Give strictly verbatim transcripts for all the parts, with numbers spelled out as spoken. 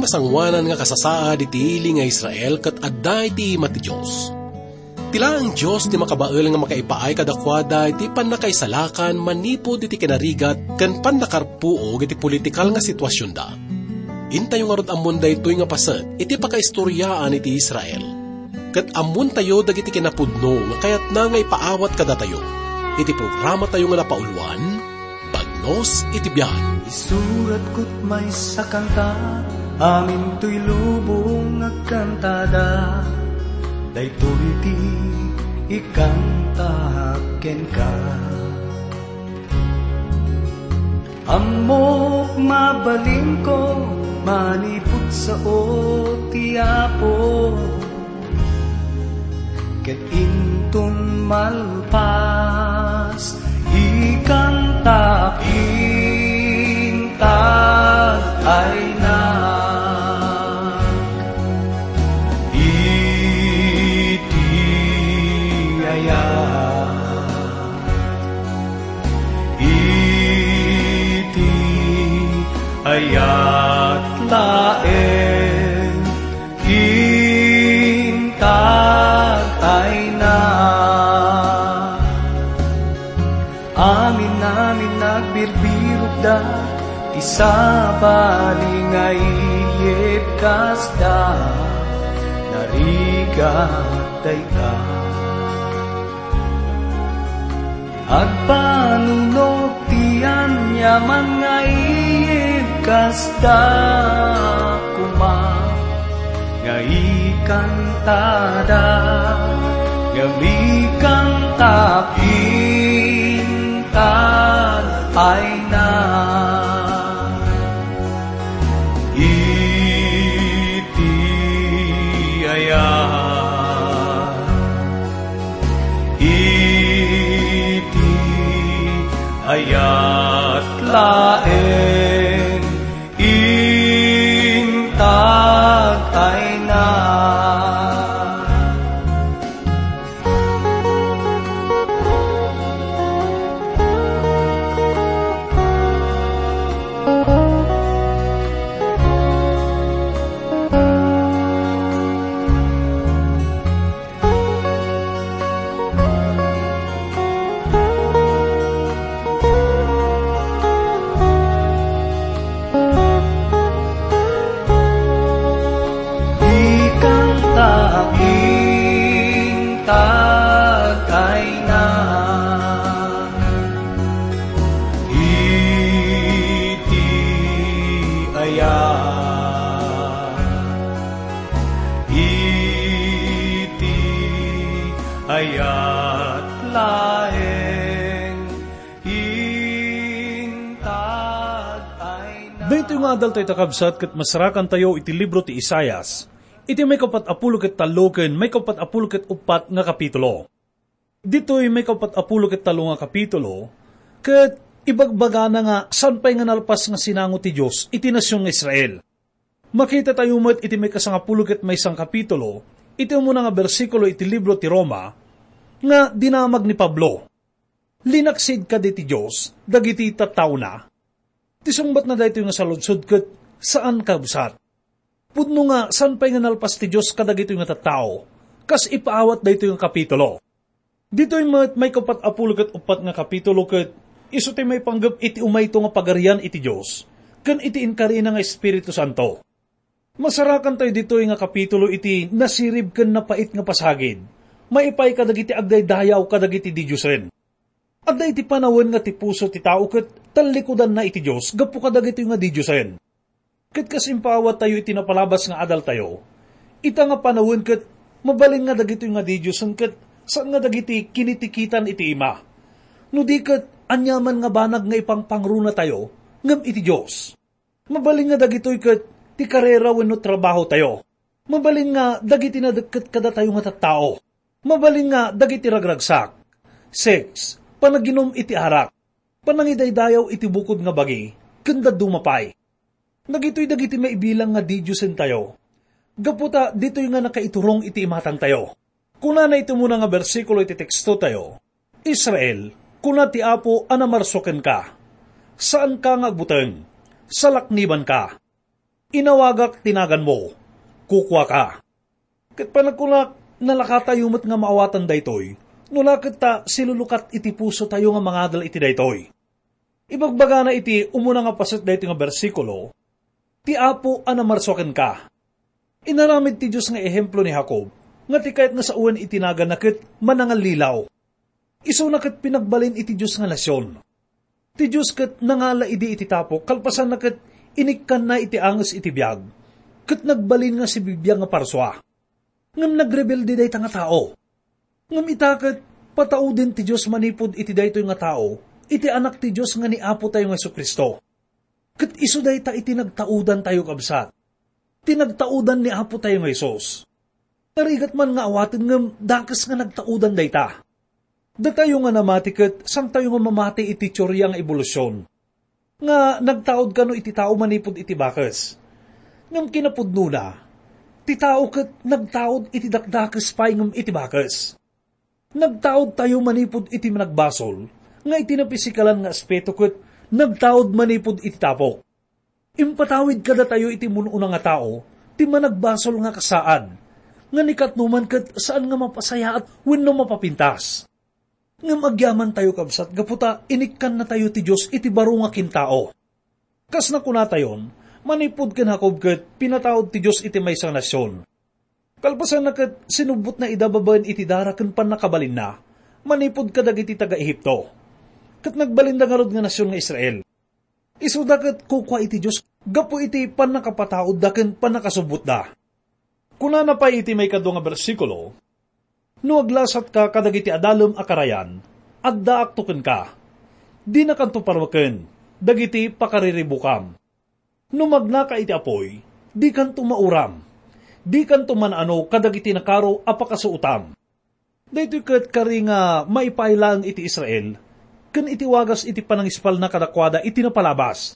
Masangoanan nga kasasaad iti ili nga Israel ket adda iti ima ti Dios. Ti laeng Dios ti makabael nga makaipaay kadakuada iti pannakaisalakan manipud iti kinarigat ken pannakarpuog iti politikal nga situasionda. Intayo ngarud ammon daytoy nga paset iti pakaistoriaan iti Israel. Ket ammontayo dagiti kinapudno nga kayatna nga ipaawat kadatayo iti programatayo nga napauluan, Bagnos iti Biag. Isuratko't maysa kanta, amintoy lubong agkantada. Daytoy ti ikanta kenka. Ammok mabalinko, manipud sao ti Apo. Ket inton malpas, ikantak intag ayna. Iti ayat, iti ayat laeng, intag ayna. Amin-amin nagbirbirokda, ti sabali nga iibkasda, narigat dayta. Agpanunot ti aniaman nga iibkasda koma, nga ikantada, nga ikantak intag ayna. Iti ayat, iti ayat laeng, intag ayna. Ikantak intag ayna. Iti ayat, iti ayat laeng, intag ayna. Daytoy nga adal tayo, kakabsat, ket masarakantayo iti libro ti Isaias, iti maikapat a pulo ket tallo ken maikapat a pulo ket uppat nga kapitulo. Ditoy maikapat a pulo ket tallo nga kapitulo, ket ibagbagana nga saan pay nga nalpas nga sinango ti Dios iti nasion nga Israel. Makitatayo met iti maikasangapulo ket maysa nga kapitulo, iti umuna nga bersikulo iti libro ti Roma, nga dinamag ni Pablo. Linaksid kadi ti Dios dagiti tattaona. Ti sungbatna daytoy nga saludsod ket saan, kabsat. Pudno nga saan pay nga nalpas ti Dios kadagitoy nga tattao, kas ipaawat daytoy nga kapitulo. Ditoy met maikapat a pulo ket uppat nga kapitulo ket isu ti maipanggep iti umayto nga Pagarian iti Dios ken iti inkarina nga Espiritu Santo. Masarakantayo ditoy nga kapitulo iti nasirib ken napait nga pasagid maipaay kadagiti agdaydayaw kadagiti didiosen. Adda iti panawen nga ti puso ti tao ket tallikudanna iti Dios gapu kadagitoy nga didiosen. Ket kas impaawattayo iti napalabas nga adaltayo, ita nga panawen ket mabalin nga dagitoy nga didiosen ket saan nga dagiti kinitikitan iti ima. No di ket, aniaman nga banag nga ipangpangrunatayo ngem iti Dios. Mabalin nga dagitoy ket ti karera wenno trabahotayo. Mabalin nga dagiti nadekket kadatayo nga tattao. Mabalin nga dagiti ragragsak, sex, panaginum iti arak, panangidaydayaw iti bukod nga bagi, ken dadduma pay. Dagitoy dagiti maibilang nga didiosentayo. Gapu ta ditoy nga nakaiturong iti imatangtayo. Kunana iti umuna nga bersikulo iti tekstotayo, "Israel, kuna ti Apo a namarso kenka, saanka nga agbuteng, salaknibanka." Inawagak ti naganmo, kukuaka. Ket panagkunak, nalakatayo met nga maawatan daytoy, no la ket ta silulukat iti pusotayo nga mangadal iti daytoy. Ibagbagana iti umuna nga paset daytoy nga bersikulo, ti Apo a namarsua kenka. Inaramid ti Dios nga ehemplo ni Jacob, nga ti kayat nga sawen iti naganna ket manangallilaw. Isuna ket pinagbalin iti Dios nga nasion. Ti Dios ket nangala idi iti tapok, kalpasanna ket inikkanna iti anges iti biag, ket nagbalin nga sibibiag nga parsua. Ngem nagrebelde dayta nga tao. Ngem ita ket patauden ti Dios manipud iti daytoy nga tao, iti Anak ti Dios nga ni Apotayo nga Jesu-Cristo. Ket isu dayta iti nagtaudantayo, kabsat. Ti nagtaudan ni Apotayo nga Jesus. Narigat man nga awaten ngem dakes nga nagtaudan dayta. Datayo nga namati ket saantayo nga mamati iti teoria nga ebolusyon, nga nagtaud kano iti tao manipud iti bakes. Ngem kinapudnona, ti tao ket nagtaud iti dakdakes pay ngem iti bakes. Nagtaud tayo manipud iti managbasol, nga iti napisikalan nga aspeto ket nagtaud manipud iti tapok. Impatawid kadatayo iti mun-una nga tao ti managbasol nga kasaad, nga ni katno man ket saan nga mapasayaat wenno mapapintas. Ngem agyamantayo, kabsat, gapu ta inikkannatayo ti Dios iti baro nga kintao. Kas nakunatayon, manipud ken Jacob ket pinataud ti Dios iti maysa nga nasion. Kalpasanna ket sinubbotna ida babaen iti dara ken pannakabalinna, manipud kadagiti taga-Egipto. Ket nagbalinda ngarud nga nasion nga Israel. Isuda ket kukua iti Dios gapu iti pannakapataudda ken pannakasubbotda. Kunana pay iti maikadua nga bersikulo, "No aglasatka kadagiti adalem a karayan, addaakto kenka. Dinakanto parmeken dagiti pakariribukam. No magnaka iti apuy, dikanto mauram. Dikanto man-ano kadagiti nakaro a pakasuotam." Daytoy ket kari nga maipaay laeng iti Israel, ken iti wagas iti panangispalna kadakuada iti napalabas.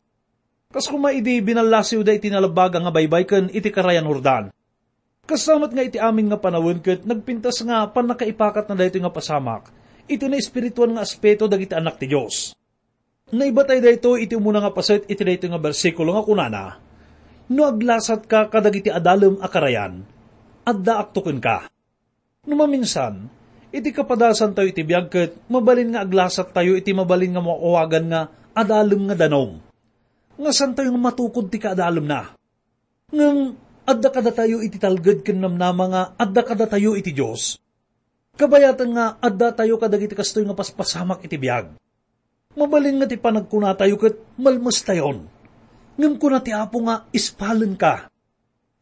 Kas koma idi binallasiwda iti nalabbaga nga baybay ken iti karayan Jordan. Kasta met nga iti amin nga panawen ket nagpintas nga pannakaipakatna daytoy nga pasamak iti naespirituan nga aspeto dagiti annak ti Dios. Naibatay daytoy iti umuna nga paset iti daytoy nga bersikulo nga kunana, "No aglasatka kadagiti adalem a karayan, addaakto kenka." No maminsan, iti kapadasantayo iti biag ket mabalin nga aglasattayo iti mabalin nga maawagan nga adalem nga danum, nga saantayo nga matukod ti kaadalemna. Ngem adda kadatayo iti talged ken namnama nga adda kadatayo iti Dios. Kabayaten nga addatayo kadagiti kastoy nga paspasamak iti biag. Mabalin nga ti panagkunatayo ket malmestayon. Ngem kuna ti Apo nga ispalenka.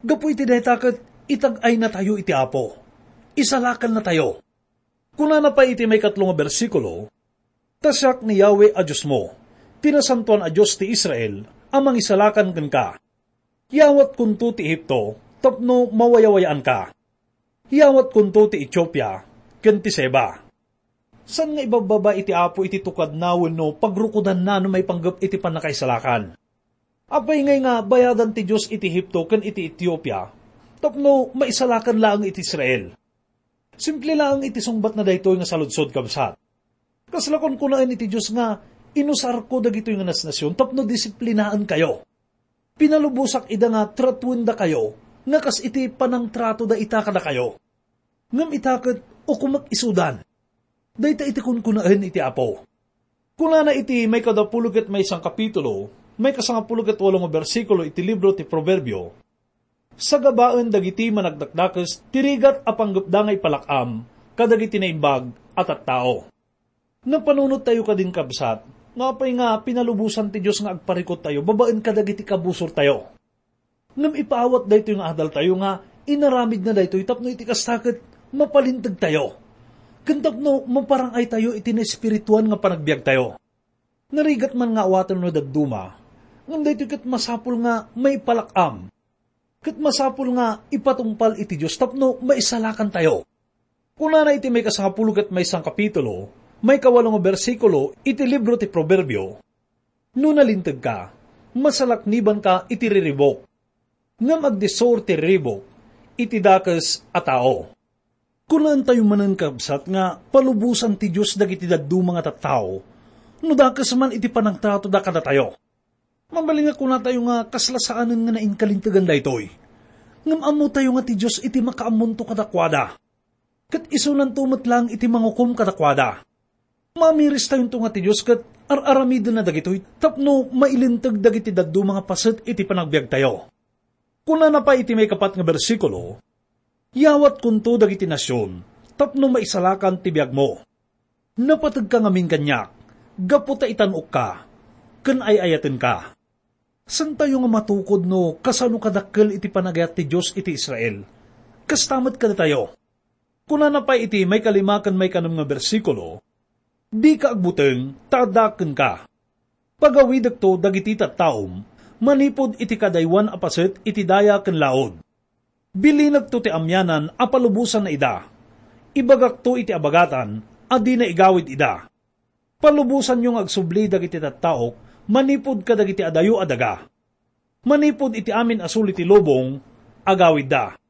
Gapu iti dayta ket itag-aynatayo iti Apo. Isalakannatayo. Kunana pay iti maikatlo nga bersikulo, "Ta siak ni Yahweh a Diosmo, ti Nasantoan a Dios ti Israel, a mangisalakan kenka. Yawatkonto ti Egipto tapno mawayawayaanka. Yawatkonto ti Etiopia ken ti Seba." Saan nga ibabbaba iti Apo iti tukadna wenno pagrukodanna no maipanggep iti pannakaisalakan? Apay ngay nga bayadan ti Dios iti Egipto ken iti Etiopia tapno maisalakan laeng iti Israel? Simple laeng iti sungbatna daytoy nga saludsod, kabsat. Kasla kunkunaen iti Dios nga, "Inusarko dagitoy nga nasnasion tapno disiplinaenkayo. Pinalubosak ida nga tratuendakayo nga kas iti panangtratoda ita kadakayo." Ngem ita ket ukomek isudan. Dayta iti kunkunaen iti Apo. Kunana iti maikadapulo ket maysa nga kapitulo, maikasangapulo ket walo nga bersikulo iti libro ti Proverbio, "Sagabaen dagiti managdakdakes ti rigat a panggepda nga ipalak-am kadagiti naimbag a tattao." Napanunottayo kadin, kabsat, nga apay nga pinalubosan ti Dios nga agparikottayo babaen kadagiti kabusortayo. Ngem ipaawat daytoy nga adaltayo nga inaramidna daytoy tapno iti kasta ket mapalintegtayo, ken tapno maparang-aytayo iti naespirituan nga panagbiagtayo. Narigat man nga awaten no dadduma, ngem daytoy ket masapul nga maipalak-am, ket masapul nga ipatungpal iti Dios tapno maisalakantayo. Kunana iti maikasangapulo ket maysa nga kapitulo, maikawalo nga bersikulo iti libro ti Proverbio, "No nalintegka, masalaknibanka iti riribuk, ngem agdisur ti riribuk iti dakes a tao." Kunaentayo manen, kabsat, nga palubosan ti Dios dagiti dadduma nga tattao no dakes man iti panangtratoda kadatayo. Mabalin nga kunatayo nga kasla saanen nga nainkalintegan daytoy. Ngem ammotayo nga ti Dios iti makaammonto kadakuada. Ket isunanto met laeng iti mangukom kadakuada. Maamiris tayonto nga ti Dios ket ar-aramidenna dagitoy tapno mailinteg dagiti dadduma nga paset iti panagbiagtayo. Kunana pay iti maikapat nga bersikulo, "Yawatkonto dagiti nasion tapno maisalakan ti biagmo. Napateg ka ngamin kaniak, gapu ta itan-okka, ken ay-ayatenka." Saantayo nga matukod no kasano kadakkel iti panagayat ti Dios iti Israel. Kasta met kadatayo. Kunana pay iti maikalima ken maikanem nga bersikulo, "Dika agbuteng, ta addaak kenka. Pagawidekto dagiti tattaom manipud iti kadaywan a paset iti daya ken laod. Bilinekto ti amianan a palubosanna ida. Ibagakto iti abagatan a dina igawid ida. Palubosanyo nga agsubli dagiti tattaok manipud kadagiti adayo a daga. Manipud iti amin a suli ti lubong, agawidda.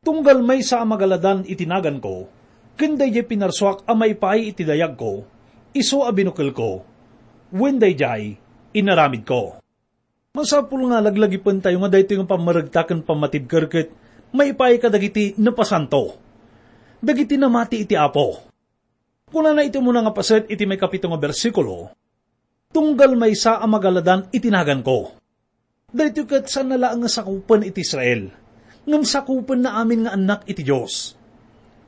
Tunggal maysa a magaladan iti naganko, ken daydiay pinarsuak a maipaay iti dayagko, isu a binukelko, wen daydiay inaramidko." Masapul nga laglagipentayo nga daytoy nga pammaregta ken pammatibker ket maipaay kadagiti napasanto, dagiti namati iti Apo. Kunana iti umuna nga paset iti maikapito nga bersikulo, "Tunggal maysa a magaladan iti naganko." Daytoy ket saanna laeng nga sakupen iti Israel, ngem sakupenna amin nga annak iti Dios.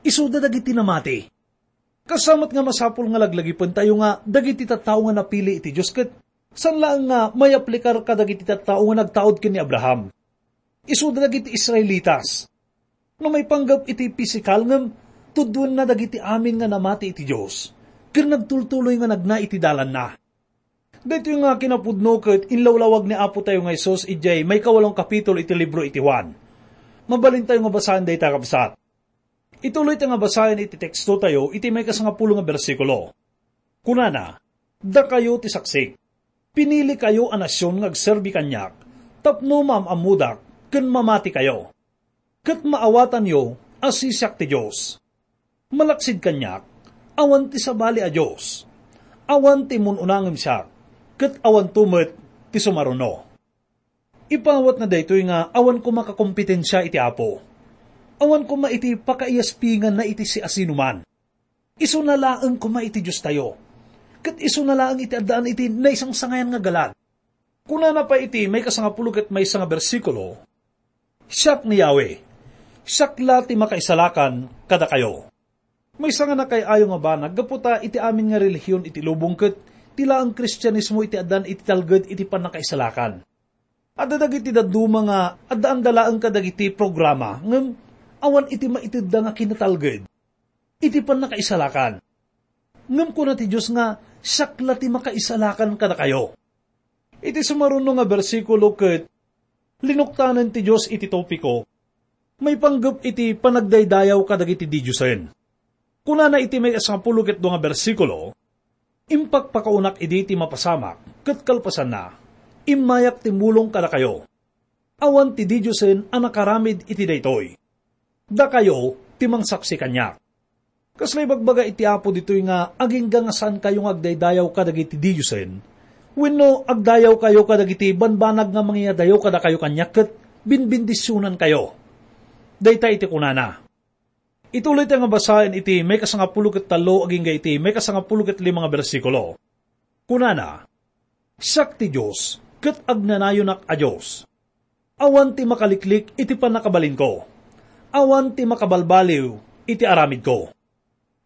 Isuda dagiti namati. Kasta met nga masapul nga laglagipentayo nga dagiti tattao nga napili iti Dios ket saan laeng nga mayaplikar kadagiti tattao nga nagtaud ken ni Abraham. Isuda dagiti Israelitas. No maipanggep iti pisikal ngem tuddoenna dagiti amin nga namati iti Dios ken nagtultuloy nga nagna iti dalanna. Daytoy nga kinapudno ket inlawlawag ni Apo tayo nga Jesus idiay maikawalong kapitulo iti libro iti Juan. Mabalintayo nga basaen dayta, kabsat. Ituloy ta nga basaen iti teksto tayo iti maikasangapulo nga bersikulo. Kunana, "Dakayo ti saksik. Pinilikayo a nasion nga agserbi kaniak tapno maam-ammodak ken mamatikayo. Ket maawatanyo a sisiak ti Dios. Malaksid kaniak, awan ti sabali a Dios. Awan ti immun-una ngem siak, ket awanto met ti sumaruno." Ipawatna daytoy nga awan koma kakompetensia iti Apo. Awan koma iti pakaiyaspinganna iti siasinoman. Isuna laeng koma iti Diostayo. Ket isuna laeng iti addaan iti naisangsangayan nga galad. Kunana pay iti maikasangapulo ket maysa nga bersikulo, "Siak ni Yahweh. Siak la ti makaisalakan kadakayo." Maysa nga nakay-ayo nga banag gapu ta iti amin nga relihiyon iti lubong ket ti laeng Kristianismo iti addaan iti talged iti pannakaisalakan. Adda dagiti dadduma nga addaanda laeng kadagiti programa, ngem awan iti maitedda nga kinatalged iti pannakaisalakan. Ngem kuna ti Dios nga, "Siak la ti makaisalakan kadakayo." Iti sumaruno nga bersikulo ket linuktanen ti Dios iti topiko, maipanggep iti panagdaydayaw kadagiti didiosen. Kunana iti maikasangapulo ket dua nga bersikulo, "Impakpakaunak idi ti mapasamak, ket kalpasanna, immayak ti mulong kadakayo. Awan ti didiosen a nakaramid iti daytoy. Dakayo ti mangsaksi kaniak." Kasla ibagbaga iti Apo ditoy nga agingga nga saankayo nga agdaydayaw kadagiti didiosen, wenno agdayawkayo kadagiti banbanag nga mangiyadayo kadakayo kaniak ket binbendisionankayo. Dayta iti kunana. Ituloy ta nga basaen iti maikasangapulo ket tallo agingga iti maikasangapulo ket lima nga bersikulo. Kunana, "Siak ti Dios, ket agnanayonak a Dios. Awan ti makaliklik iti pannakabalinko. Awan ti makabalbaliw iti aramidko."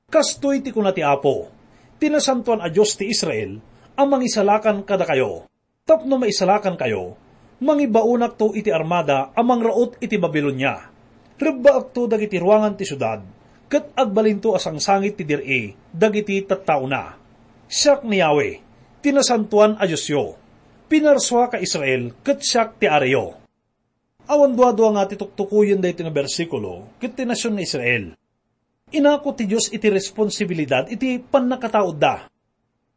Kastoy ti kuna ti Apo, ti Nasantoan a Dios ti Israel, a mangisalakan kadakayo. Tapno maisalakankayo, mangibaonakto iti armada a mangraut iti Babilonia. Rebbaekto dagiti ruangan ti siudad, ket agbalinto a sangsangit ti dir-i dagiti tattaona. Siak ni Yahweh, ti Nasantoan a Diosyo. Pinarsuaka, Israel, ket siak ti ariyo. Awan duadua nga ti tuktukoyen daytoy nga bersikulo ket ti nasion nga Israel. Inako ti Dios iti responsibilidad iti pannakataudda.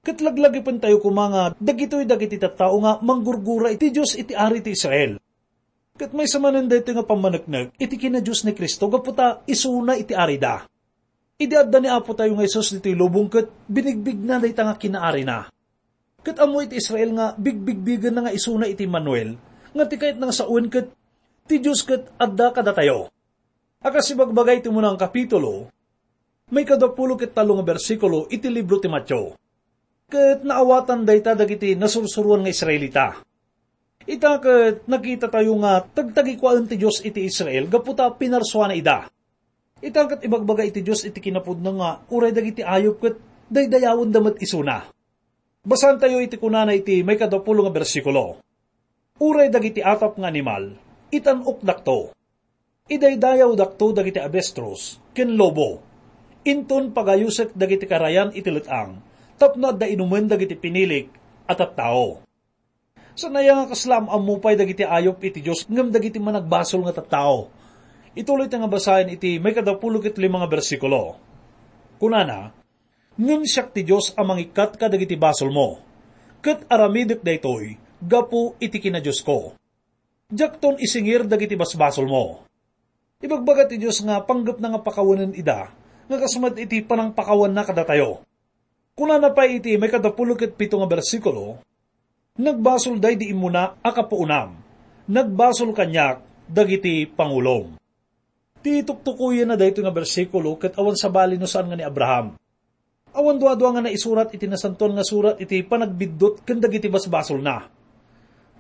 Ket laglagipentayo koma nga dagitoy dagiti tattao nga manggurgura iti Dios iti ari ti Israel. Ket maysa manen daytoy nga pammaneknek iti kinadios ni Cristo gapu ta isuna iti arida. Idi adda ni Apo tayo nga Jesus ditoy lubong ket binigbigna dayta nga kinaarina. Ket ammo iti Israel nga bigbigbigenna nga isuna iti Emmanuel, nga ti kayatna nga sawen ket ti Dios ket adda kadatayo. A kas ibagbaga iti umuna nga kapitulo, maikadapulo ket tallo nga bersikulo iti libro ti Mateo. Ket naawatan dayta dagiti nasursuroan nga Israelita. Ita ket nakitatayo nga tagtagikuaen ti Dios iti Israel gapu ta pinarsuana ida. Ita ket ibagbaga iti Dios iti kinapudna nga uray dagiti ayup ket daydayawenda met isuna. Basaentayo iti kunana iti maikadapulo nga bersikulo, "Uray dagiti atap nga animal, itan-okdakto. Idaydayawdakto dagiti abestrus ken lobo. Inton pagayusek dagiti karayan iti let-ang, tapno adda inumen dagiti pinilik a tattao." Saan aya nga kasla am-ammo pay dagiti ayup iti Dios ngem dagiti managbasol nga tattao? Ituloy ta nga basaen iti maikadapulo ket lima nga bersikulo. Kunana, "Ngem siak ti Dios a mangikkat kadagiti basolmo, ket aramidek daytoy gapu iti kinadiosko. Diakton isingir dagiti basbasolmo." Ibagbaga ti Dios nga panggepna nga pakawanen ida, nga kas met iti panangpakawanna kadatayo. Kunana pay iti maikadapulo ket pito nga bersikulo, "Nagbasol daydi immuna a kapuonam. Nagbasol kaniak dagiti pangulom." Ti tuktukoyenna daytoy nga bersikulo ket awan sabali no saan nga ni Abraham. Awan duadua nga naisurat iti Nasantoan nga Surat iti panagbiddut ken dagiti basbasolna.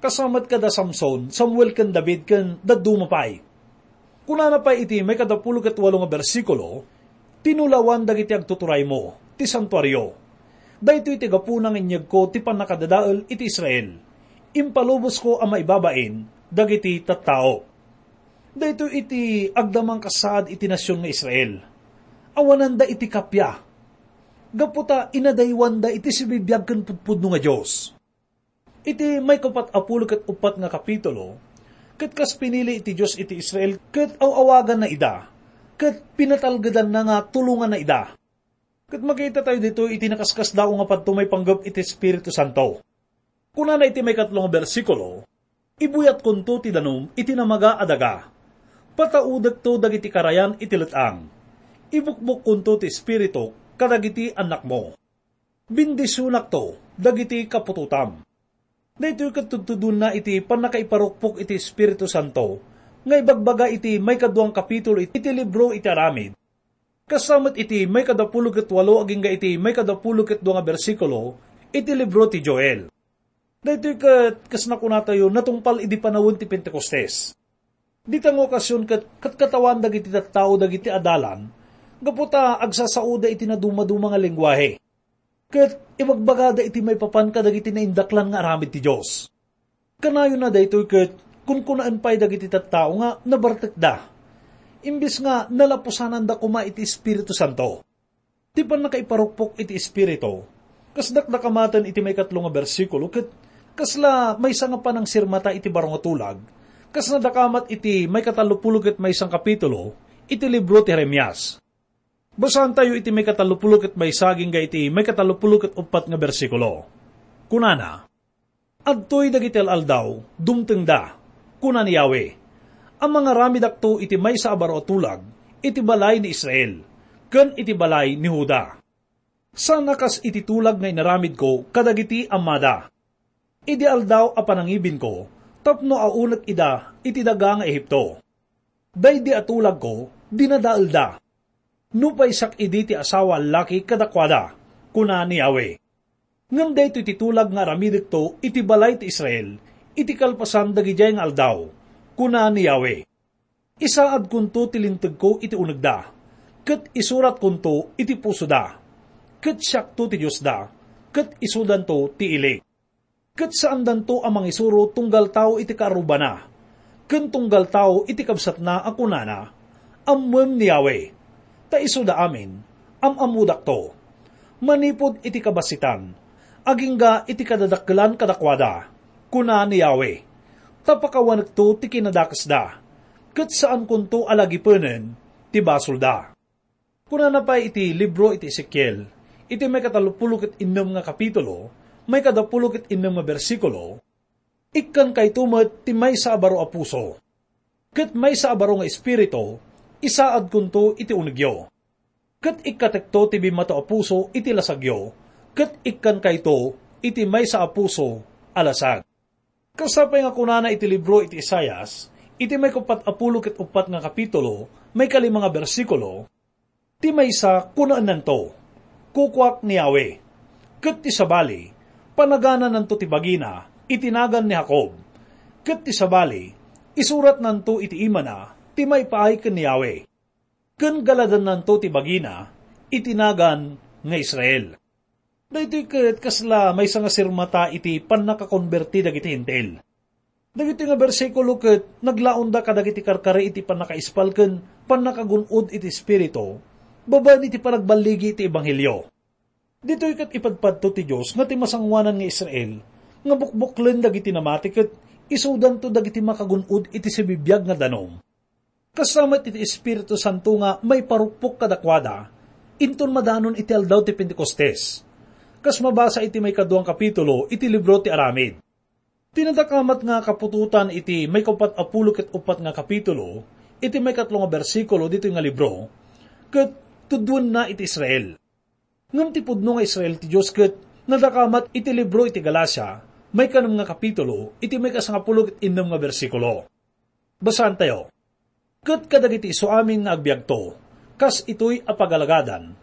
Kas met kada Samson, Samuel ken David ken dadduma pay. Kunana pay iti maikadapulo ket walo nga bersikulo, "Tinulawan dagiti agtuturaymo ti santuario. Daytoy ti gapuna nga inyegko ti pannakadadael iti Israel. Impalubosko a maibabain dagiti tattao." Daytoy iti agdamang kasaad iti nasion nga Israel. Awananda iti kappia. Gapu ta inadaywanda iti sibibiag ken pudpudno nga Dios. Iti maikapat a pulo ket uppat nga kapitulo, ket kas pinili iti Dios iti Israel, ket aw-awaganna ida, ket pinatalgedanna nga tulonganna ida. Ket makita tayo ditoy iti nakaskasdaaw nga padto maipanggep iti Espiritu Santo. Kunana iti maikatlo nga bersikulo, "Ibuyatkonto ti danum iti namaga a daga. Pataudekto dagiti karayan iti let-ang. Ibukbukkonto ti Espirituk kadagiti annakmo. Bendisionakto dagiti kaputotam." Daytoy ket tudtudonna iti pannakaiparukpok iti Espiritu Santo nga ibagbaga iti maikadua nga kapitulo iti libro iti Aramid. Kasta met iti maikadapulo ket walo agingga iti maikadapulo ket dua nga bersikulo iti libro ti Joel. Daytoy ket, kas nakunatayo, natungpal idi panawen ti Pentecostes. Dita nga okasion ket katkatawaen dagiti tattao dagiti adalan gapu ta agsasaoda iti nadumaduma nga lenguahe. Ket ibagbagada iti maipapan kadagiti naindaklan nga aramid ti Dios. Kanayonna daytoy ket kunkunaen pay dagiti tattao nga nabartekda, imbes nga nalapusananda koma iti Espiritu Santo. Ti pannakaiparukpok iti Espiritu, kas dakdakamaten iti maikatlo nga bersikulo, ket kasla maysa nga panangsirmata iti baro nga tulag, kas nadakamat iti maikatallopulo ket maysa nga kapitulo iti libro ti Jeremias. Basaentayo iti maikatallopulo ket maysa agingga iti maikatallopulo ket uppat nga bersikulo. Kunana, "Adtoy dagiti al-aldaw, dumtengda," kuna ni Yahweh, "a mangaramidakto iti maysa a baro a tulag iti balay ni Israel ken iti balay ni Juda. Saan a kas iti tulag nga inaramidko kadagiti ammada idi aldaw a panangibinko tapno aunek ida iti daga nga Egipto. Daydi a tulagko, dinadaelda. Nupay siak idi ti asawa a laki kadakuada," kuna ni Yahweh. "Ngem daytoy ti tulag nga aramidekto iti balay ti Israel iti kalpasan dagidiay nga aldaw," kuna ni Yahweh. "Isaadkonto ti lintegko iti unegda, ket isuratkonto iti pusoda, ket siakto ti Diosda, ket isudanto ti ili. Ket saandanto a mangisuro tunggal tao iti kaarrubana, ken tunggal tao iti kabsatna a kunana, 'Ammoem ni Yahweh,' ta isuda amin, am-ammodakto. Manipud iti kabassitan, agingga iti kadadakkelan kadakuada," kuna ni Yahweh, "ta pakawanekto ti kinadakesda, ket saankonto a lagipenen ti basolda." Kunana pay iti libro iti Ezekiel, iti maikatallopulo ket innem nga kapitulo, maikadapulo ket innem nga bersikulo, "Ikkankayto met ti maysa a baro a puso, ket maysa a baro nga espiritu, isaadkonto iti unegyo. Ket ikkatekto ti bimmato a puso iti lasagyo, ket ikkankayto iti maysa a puso a lasag. Kas sapay nga kunana iti libro iti Isaias, iti maikuppat a pulo ket uppat nga kapitulo, maikalima nga bersikulo, ti maysa kunaennanto, "Kukuak ni Yahweh." Ket ti sabali, panaganananto ti bagina iti nagan ni Jacob. Ket ti sabali, isuratnanto iti imana ti maipaay ken ni Yahweh. Ken galadannanto ti bagina iti nagan nga Israel. Daytoy ket kasla maysa nga sirmata iti pannakakonberti dagiti Hentil. Dagitoy nga bersikulo ket naglaonda kadagiti karkari iti pannakaispal ken pannakagun-od iti Espiritu babaen iti panagballigi iti ebanghelio. Ditoy ket ipadpadto ti Dios nga ti masangoanan nga Israel nga bukbuklen dagiti namati ket isudanto dagiti makagun-od iti sibibiag nga danum. Kasta met iti Espiritu Santo nga maiparukpok kadakuada inton madanon iti aldaw ti Pentecostes. Kas mabasa iti maikadua nga kapitulo iti libro ti Aramid. Ti nadakamat nga kaputotan iti maikaupat a pulo ket uppat nga kapitulo, iti maikatlo nga bersikulo ditoy nga libro, ket tudduenna iti Israel. Ngem ti pudno nga Israel ti Dios ket nadakamat iti libro iti Galacia, maikanem nga kapitulo, iti maikasangapulo ket innem nga bersikulo. Basaentayo. Ket kadagiti isu amin nga agbiagto, kas itoy a pagalagadan,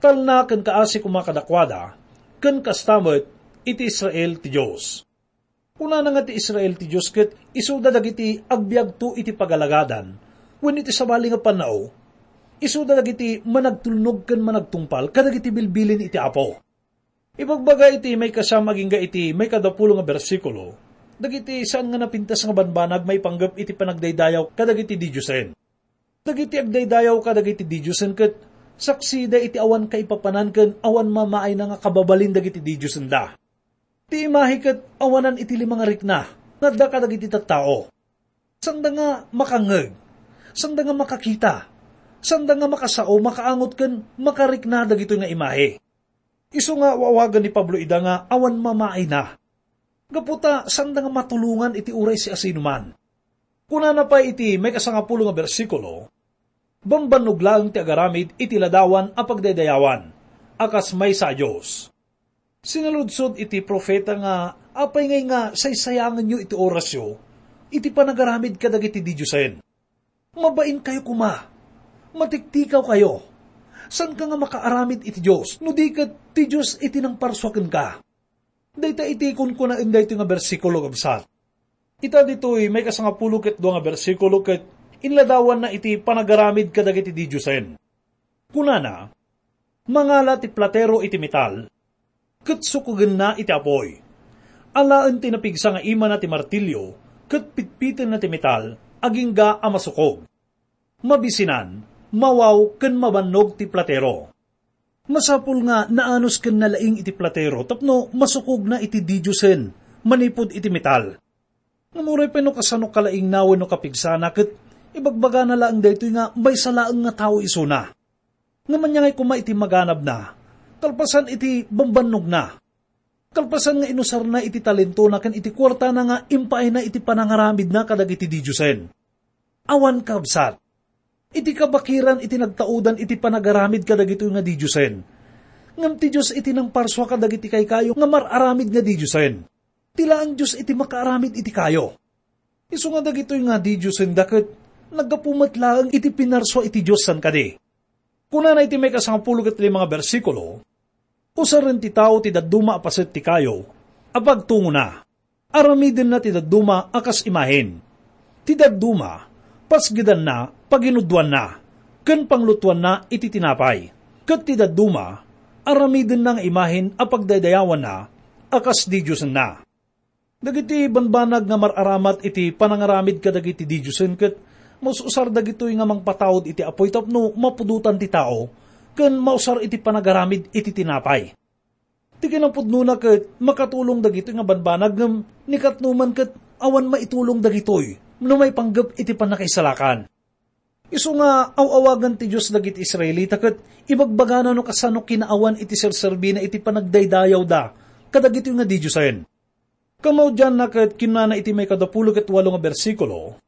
talna ken kaasi koma kadakuada, ken kasta met iti Israel ti Dios. Kunana nga ti Israel ti Dios ket isuda dagiti agbiagto iti pagalagadan, wenno iti sabali nga pannao, isuda dagiti managtulnog ken managtungpal kadagiti bilbilin iti Apo. Ibagbaga iti maikasiam agingga iti maikadapulo nga bersikulo, dagiti saan nga napintas nga banbanag maipanggep iti panagdaydayaw kadagiti didiosen. Dagiti agdaydayaw kadagiti didiosen ket saksida iti awan kaipapanan ken awan mamaayna nga kababalin dagiti didiosenda. Ti imahe ket awanan iti lima nga rikna nga adda kadagiti tattao. Sanda nga makangngeg, sanda nga makakita, sanda nga makasao, makaangot ken makarikna dagitoy nga imahe. Isu nga aw-awagan ni Pablo ida nga awan mamaayna. Gapu ta sanda nga matulongan iti uray siasinoman. Kunana pay iti maikasangapulo nga bersikulo, "Bambannog laeng ti agaramid iti ladawan a pagdaydayawan, a kas maysa a Dios." Sinaludsod iti profeta nga, "Apay ngay nga saysayangenyo iti orasyo iti panagaramid kadagiti didiosen? Mabainkayo koma, matiktikawkayo. Saanka nga makaaramid iti Dios, no di ket ti Dios iti nangparsua kenka." Dayta iti kunkunaen daytoy nga bersikulo, kabsat. Ita ditoy maikasangapulo ket dua nga bersikulo ket inladawanna iti panagaramid kadagiti didiosen. Kunana, "Mangala ti platero iti metal, ket sukogenna iti apuy. Alaen ti napigsa nga imana ti martilio, ket pitpitenna ti metal agingga a masukog. Mabisinan, mawaw, ken mabannog ti platero." Masapul nga naanus ken nalaing iti platero tapno masukogna iti didiosen manipud iti metal. Ngem uray pay no kasano kalaingna wenno kapigsana, ket ibagbagana laeng daytoy nga maysa laeng nga tao isuna. Ngem ania ngay koma iti maganabna, kalpasan iti bambannogna? Kalpasan nga inusarna iti talentona ken iti kuartana nga impaayna iti panangaramidna kadagiti didiosen. Awan, kabsat. Iti kabakiran iti nagtaudan iti panagaramid kadagitoy nga didiosen. Ngem ti Dios iti nangparsua kadagiti kaykayo nga mar-aramid nga didiosen. Ti laeng Dios iti makaaramid iti kayo. Isu nga dagitoy nga didiosenda ket naggapu met laeng iti pinarsua iti Dios, saan kadi? Kunana iti maikasangapulo ket lima nga bersikulo, "Usaren ti tao ti dadduma a paset ti kayo a pagtungona. Aramidenna ti dadduma a kas imahen. Ti dadduma, pasgedanna, paginudoanna, ken panglutoanna iti tinapay. Ket ti dadduma, aramidenna nga imahen a pagdaydayawanna a kas didiosenna." Dagiti banbanag nga mar-aramat iti panangaramid kadagiti didiosen ket maus-usar dagitoy nga mangpataud iti apuy tapno mapudotan ti tao ken mausar iti panagaramid iti tinapay. Ti kinapudnona ket makatulong dagitoy nga banbanag ngem nikatno man ket awan maitulong dagitoy no maipanggep iti pannakaisalakan. Isu nga aw-awagan ti Dios dagiti Israelita ket ibagbagana no kasano kinaawan iti serserbina iti panagdaydayawda kadagitoy nga didiosen. Kamaudianna ket kinunana iti maikadapulo ket walo nga bersikulo,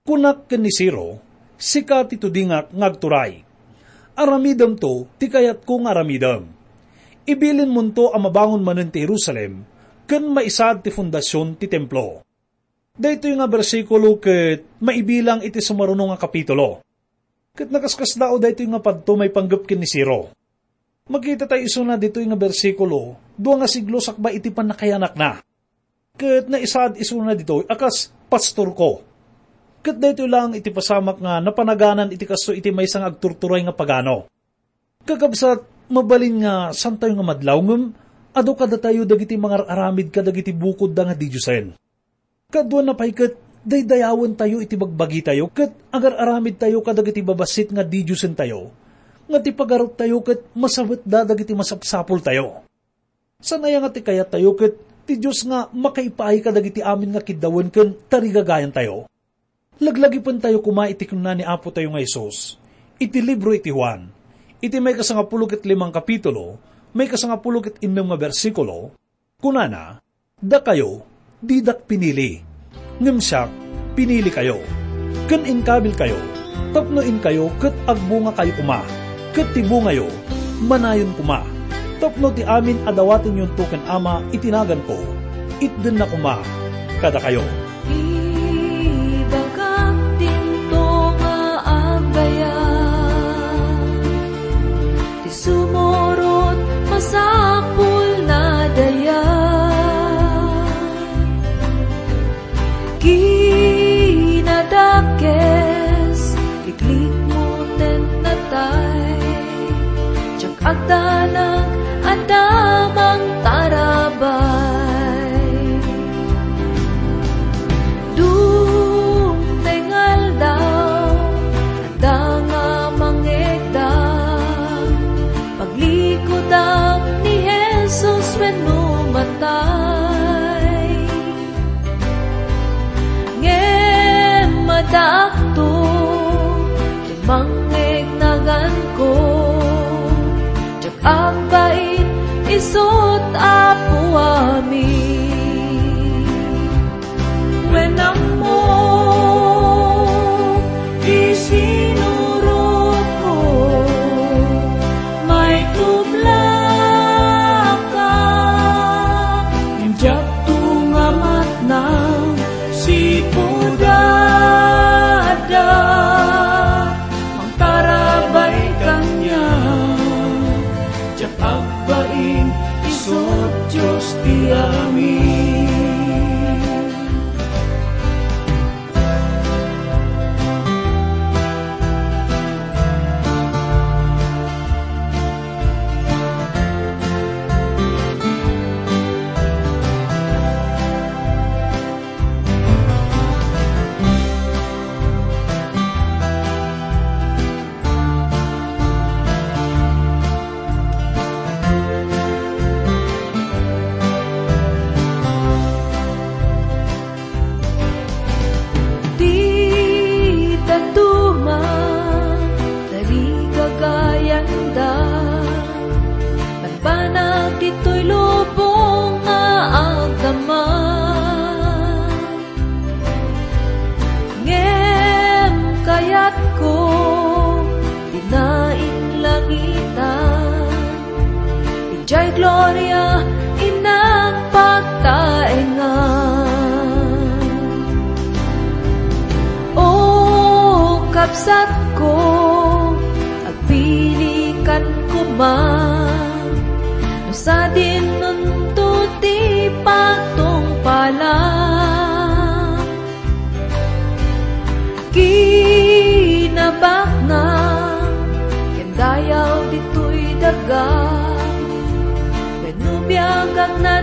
"Kunak ken ni Ciro, sika ti tudingak nga agturay. Aramidemto ti kayatko nga aramidem. Ibilinmonto a mabangon manen ti Jerusalem ken maisaad ti fundasion ti Templo. Daytoy nga bersikulo ket maibilang iti sumaruno nga kapitulo. Ket nakaskasdaaw daytoy nga padto maipanggep ken ni Ciro. Makitatayo isuna ditoy nga bersikulo, dua nga siglo sakbay iti pannakayanakna. Ket naisaad isuna ditoy a kas pastorko. Ket daytoy laeng iti pasamak nga napanaganan iti kasto iti maysa nga agturturay nga pagano. Kakabsat, mabalin nga saantayo nga madlaw, ngem adu kadatayo dagiti mangar-aramid kadagiti bukodda nga didiosen. Kaduana pay ket daydayawentayo iti bagbagitayo ket agar-aramidtayo kadagiti babassit nga didiosentayo, nga ti pagaruttayo ket masawetda dagiti masapsapultayo. Saan aya nga ti kayattayo ket ti Dios nga makaipaay kadagiti amin nga kiddawen ken tarigagayantayo? Laglagipentayo koma iti kinuna ni Apotayo nga Jesus iti libro iti Juan, iti maikasangapulo ket limang kapitulo, maikasangapulo ket innem nga bersikulo, kunana, "Dakayo, didak pinili, ngem siak, pinilikayo, ken inkabilkayo, tapno inkayo ket agbungakayo koma, ket ti bungayo, manayon koma, tapno ti amin a dawatenyonto ken Ama iti naganko, itdenna koma kadakayo." Ibagak dinto nga agayat, ti sumurot masapulna dayat. Kinadakes, liklikmo ten natay. Diak agdanag, adda mangtarabay. Dumteng aldaw, adda nga mangegda. Paglikudak ni Jesus wenno matay. Ngem addaakto, ti mangngegnaganko, diak agbain isut' Apo amin. Wen ammo ti sinurotko, maitublaka. Diakto nga matnang sipud adda mangtarabay kaniak. Diak agbain isut' Dios ti amin. Ti dadduma, tarigagayanda, bambanag ditoy lubong nga agdama. Ngem kayatko, dina inlangitan, idiay gloria innak pagtaengan. O kabsatko, agpilikan koma, no sadinonto ti pagtungpalan. Kinabaknang ken dayaw ditoy daga, wenno biagak na